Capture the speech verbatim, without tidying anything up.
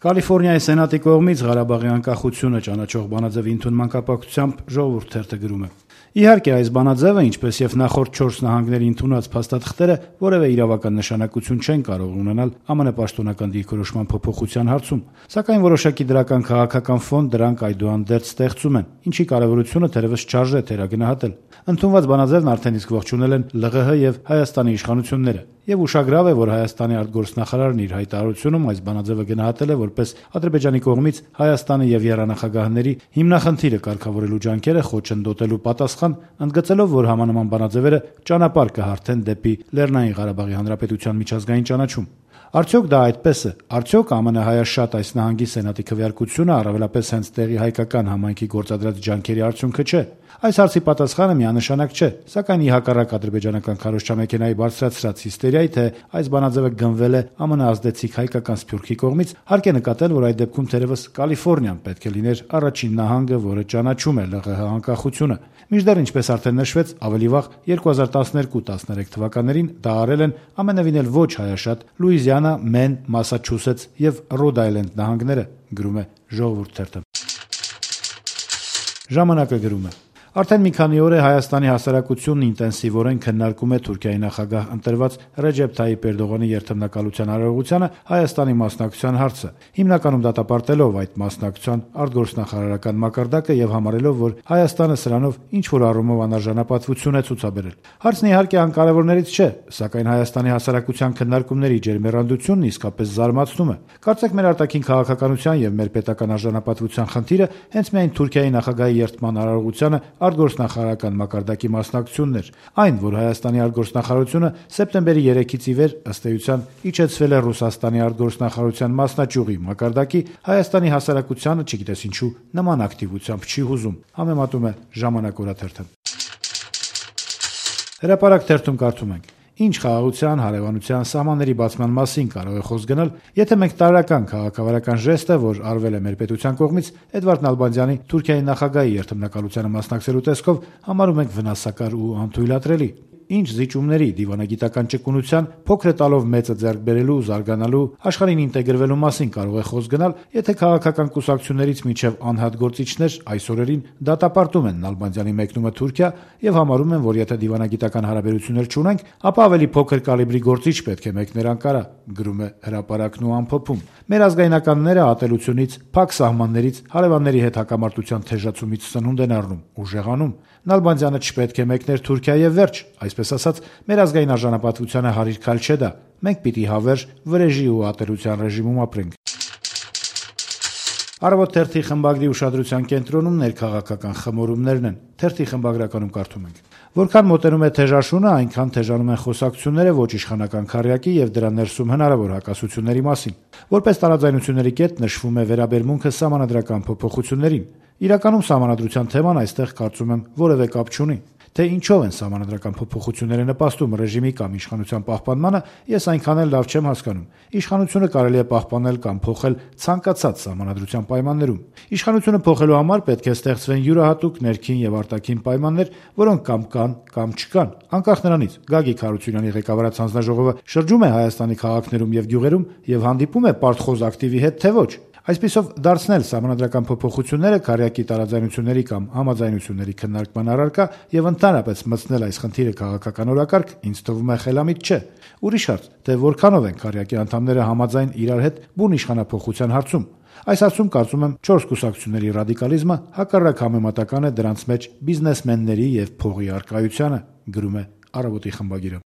Կալիֆորնիայի սենատի կողմից Ղարաբաղի անկախությունը ճանաչող բանաձևի ընդունման կապակցությամբ Ժողովուրդ թերթը գրում է. Իհարկե, այս բանաձևը, ինչպես եւ նախորդ չորս նահանգների ընդունած փաստաթղթերը, որևէ իրավական նշանակություն չեն կարող ունենալ ԱՄՆ պաշտոնական դիրքորոշման փոփոխության հարցում, սակայն որոշակի դրական քաղաքական ֆոն դրանք այդուհանդերձ ստեղծում են, ինչի կարեւորությունը թերևս չարժե թերագնահատել։ Ընդունված բանաձևն արդեն իսկ ողջունել են ԼՂՀ եւ Հայաստանի իշխանությունները, եւ ուշագրավ է, որ Հայաստանի արտգործնախարարն իր հայտարարությունում այս բանաձևը գնահատել է որպես Ադրբեջանի կողմից Հայաստանի եւ եռանախագահների հիմնախնդիրը կարգավորելու ջանքերը խոչընդոտելու պատասխան, ընդգծելով, որ համանման բանաձևերը ճանապարհ կհարթեն դեպի Լեռնային Ղարաբաղի Հանրապետության միջազգային ճանաչում։ Արդյոք դա այդպես է։ Արդյոք ԱՄՆ հայաշատ այս նահանգի սենատի քվեարկությունը առավելապես հենց տեղի հայկական համայնքի գործադրած ջանքերի արդյունքը չէ։ Այս հարցի պատասխանը միանշանակ չէ, սակայն ի հակառակ ադրբեջանական քարոզչամեքենայի բարձրացրած հիստերիայի, թե այս բանաձևը գնվել է ԱՄՆ ազդեցիկ հայկական սփյուռքի կողմից, հարկ է նկատել, որ այդ դեպքում թերևս Կալիֆորնիան պետք է լիներ առաջին նահանգը, որը ճանաչում է ԼՂՀ անկախությունը։ Մինչդեռ, ինչպես արդեն նշվեց, ավելի վաղ երկու հազար տասներկու տասներեք թվականներին դա արել են ամենևին էլ ոչ հայաշատ Լուիզիանա, Մեն, Մասաչուսեթս եւ Ռոդ Այլենդ նահանգները, գրում է Ժողովուրդ թերթը։ Ժամանակը գրում է. Արդեն մի քանի օր է Հայաստանի հասարակությունն ինտենսիվորեն քննարկում է Թուրքիայի նախագահ ընտրված Ռեջեփ Թայիփ Էրդողանի երթմնակալության արարողությանը Հայաստանի մասնակցության հարցը, հիմնականում դատապարտելով այդ մասնակցության արտգործնախարարական մակարդակը եւ համարելով, որ Հայաստանը սրանով ինչ-որ առումով անարժանապատվություն է ցուցաբերել։ Հարցն իհարկե անկարևորներից չէ, սակայն Հայաստանի հասարակության քննարկումների ջերմեռանդությունն իսկապես զարմացնում է։ Կարծեք մեր արտաքին քաղաքականության եւ մեր պետական արժանապատվության խնդիրը հենց միայն Թուրքիայի նախագահի երթման արարողությանը արտգործնախարարական մակարդակի մասնակցությունն էր, այն, որ Հայաստանի արտգործնախարարությունը սեպտեմբերի երեքից ի վեր ըստ էության իջեցվել է Ռուսաստանի արտգործնախարարության մասնաճյուղի մակարդակի, Հայաստանի հասարակությանը, չգիտես ինչու, նման ակտիվությամբ չի հուզում, համեմատում է Ժամանակ օրաթերթը։ Հրապարակ թերթում կարդում ենք. Ինչ խաղաղության, հարևանության, սահմանների բացման մասին կարող է խոսք գնալ, եթե մենք տարրական քաղաքավարական ժեստը, որ արվել է մեր պետության կողմից Էդվարդ Նալբանդյանի Թուրքիայի նախագահի երթմնակալությանը մասնակցելու տեսքով, համարում ենք վնասակար ու անթույլատրելի։ Ինչ զիջումների, դիվանագիտական ճկունության, փոքր տալով մեծը ձեռք բերելու, զարգանալու, աշխարհին ինտեգրվելու մասին կարող է խոսք գնալ, եթե քաղաքական կուսակցություններից մինչև անհատ գործիչներ այս օրերին դատապարտում են Նալբանդյանի մեկնումը Թուրքիա եւ համարում են, որ եթե դիվանագիտական հարաբերություններ չունենք, ապա ավելի փոքր կալիբրի գործիչ պետք է մեկներ Անկարա, գրում է Հրապարակն ու ամփոփում։ Մեր ազգայնականները ատելությունից, փակ սահմաններից, հարևանների հետ հակամարտության թեժացումից սնունդ են առնում, ուժեղանում։ Նալբանդյանը չպետք է մեկներ Թուրքիա եւ վերջ, այսպես ասած, մեր ազգային արժանապատվությանը հարիր քայլ չէ դա։ Մենք պիտի հավերժ, վրեժի ու ատելության ռեժիմում ապրենք։ Առավոտ թերթի խմբագրի ուշադրության կենտրոնում ներքաղաքական խմորումներն են։ Թերթի խմբագրականում կարդում ենք. Որքան մոտենում է թեժաշունը, այնքան թեժանում են խոսակցությունները ոչ իշխանական քառյակի եւ դրա ներսում հնարավոր հակասությունների մասին։ Որպես տարաձայնությունների կետ նշվում է վերաբերմունքը սահմանադրական փոփոխություններին։ Իրականում սահմանադրության թեման այստեղ կարծում եմ որևէ կապ չունի։ Թե ինչով են սահմանադրական փոփոխությունները նպաստում ռեժիմի կամ իշխանության պահպանմանը, ես այնքան էլ լավ չեմ հասկանում։ Իշխանությունը կարելի է պահպանել կամ փոխել ցանկացած սահմանադրության պայմաններում։ Իշխանությունը փոխելու համար պետք է ստեղծվեն յուրահատուկ ներքին եւ արտաքին պայմաններ, որոնք կամ կան, կամ չկան։ Անկախ նրանից, Գագիկ Հարությունյանի ղեկավարած հանձնաժողովը շրջում է Հայաստանի քաղաքներում եւ գյուղերում եւ հանդիպում է պարտխոզ ակտիվի հետ, թե ոչ։ Այսպիսով դարձնել սահմանադրական փոփոխությունները քառյակի տարաձայնությունների կամ համաձայնությունների քննարկման առարկա եւ ընդհանրապես մտցնել այս խնդիրը քաղաքական օրակարգ, ինձ թվում է խելամիտ չէ։ Ուրիշ հարց, թե որքանով են քառյակի անդամները համաձայն իրար հետ բուն իշխանափոխության հարցում։ Այս հարցում կարծում եմ չորս կուսակցությունների ռադիկալիզմը հակառակ համեմատական է դրանց մեջ բիզնեսմենների եւ փողի առկայությանը, գրում է Առավոտի խմբագիրը։